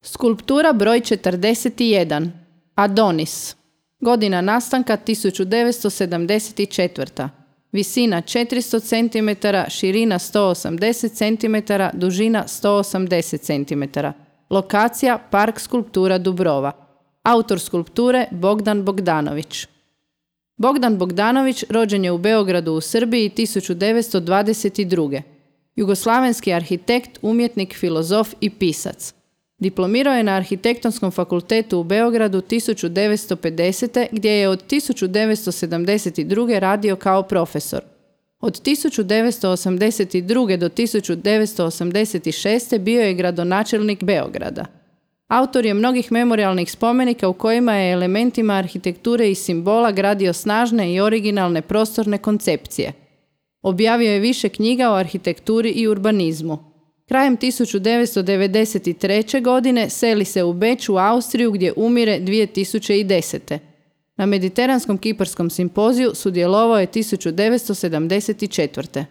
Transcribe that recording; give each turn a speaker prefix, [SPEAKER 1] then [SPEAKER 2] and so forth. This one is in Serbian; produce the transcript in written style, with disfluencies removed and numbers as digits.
[SPEAKER 1] Skulptura broj 41. Adonis. Godina nastanka 1974. Visina 400 cm, širina 180 cm, dužina 180 cm. Lokacija Park skulptura Dubrova. Autor skulpture Bogdan Bogdanović. Bogdan Bogdanović rođen je u Beogradu u Srbiji 1922. Jugoslavenski arhitekt, umjetnik, filozof i pisac. Diplomirao je na Arhitektonskom fakultetu u Beogradu 1950. gdje je od 1972. radio kao profesor. Od 1982. do 1986. bio je gradonačelnik Beograda. Autor je mnogih memorijalnih spomenika u kojima je elementima arhitekture i simbola gradio snažne i originalne prostorne koncepcije. Objavio je više knjiga o arhitekturi i urbanizmu. Krajem 1993. godine seli se u Beč u Austriju gdje umire 2010. Na Mediteranskom kiparskom simpoziju sudjelovao je 1974.